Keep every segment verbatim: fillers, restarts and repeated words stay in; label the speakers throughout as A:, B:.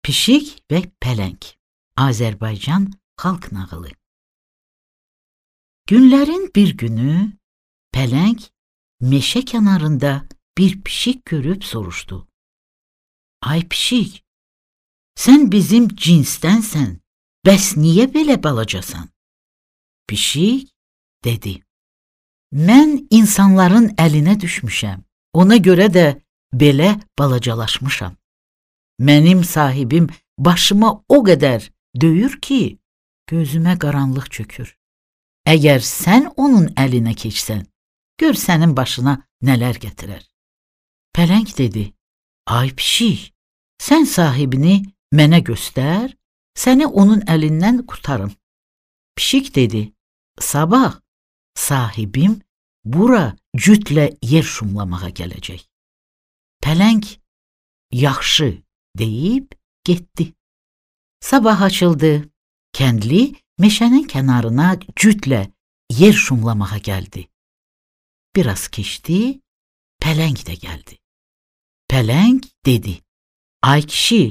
A: Pişik və Pələng. Azərbaycan xalq nağılı. Günlərin bir günü Pələng meşə kənarında bir pişik görüb soruşdu. Ay pişik, sən bizim cinsdənsən, bəs niyə belə balacasan? Pişik dedi, mən insanların əlinə düşmüşəm, ona görə də belə balacalaşmışam. Mənim sahibim başıma o qədər döyür ki, gözümə qaranlıq çökür. Əgər sən onun əlinə keçsən, gör sənin başına nələr gətirər. Pələng dedi, ay pişik, sən sahibini mənə göstər, səni onun əlindən qurtarım. Pişik dedi, sabah sahibim bura cütlə yer şumlamağa gələcək. Pələng, yaxşı deyib getdi. Sabah açıldı, kəndli meşənin kənarına cütlə yer şumlamağa gəldi. Biraz keçdi, Pələng də gəldi. Pələng dedi, ay kişi,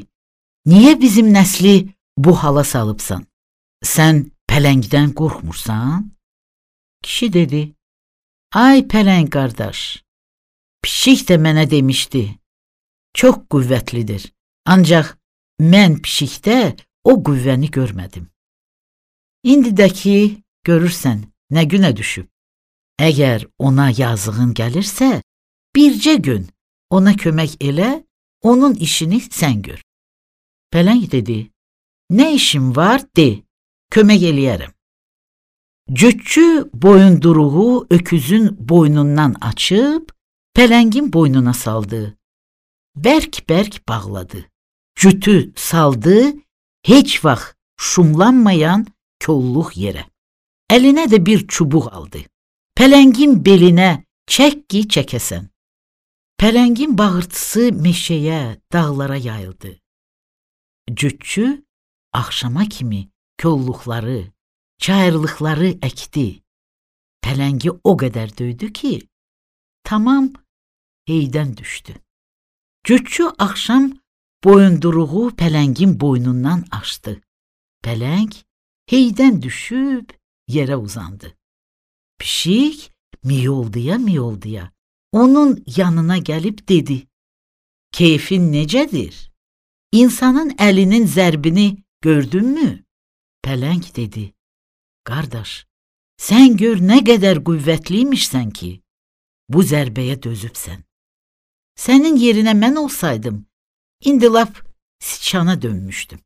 A: niyə bizim nəsli bu hala salıbsan? Sən Pələngdən qorxmursan? Kişi dedi, ay Pələng qardaş, pişik də mənə demişdi, çox qüvvətlidir, ancaq mən pişikdə o qüvvəni görmədim. İndi də ki, görürsən, nə günə düşüb. Əgər ona yazığın gəlirsə, bircə gün ona kömək elə, onun işini sən gör. Pələng dedi, nə işim var, de, kömək eləyərəm. Cütçü boyunduruğu öküzün boynundan açıb, Pələngin boynuna saldı. Bərk-bərk bağladı. Cütü saldı, heç vaxt şumlanmayan kolluq yerə. Əlinə də bir çubuq aldı. Pələngin belinə çək ki, çəkəsən. Pələngin bağırtısı meşəyə, dağlara yayıldı. Cütçü axşama kimi kolluqları, çayırlıqları əkdi. Pələngi o qədər döydü ki, tamam heydən düşdü. Cütçü axşam boyunduruğu Pələngin boynundan açdı. Pələng heydən düşüb yerə uzandı. Pişik miyolduya-miyolduya onun yanına gəlib dedi, keyfin necədir? İnsanın əlinin zərbini gördünmü? Pələng dedi, qardaş, sən gör nə qədər qüvvətliymişsən ki, bu zərbəyə dözübsən. Sənin yerinə mən olsaydım, indi lap siçana dönmüşdüm.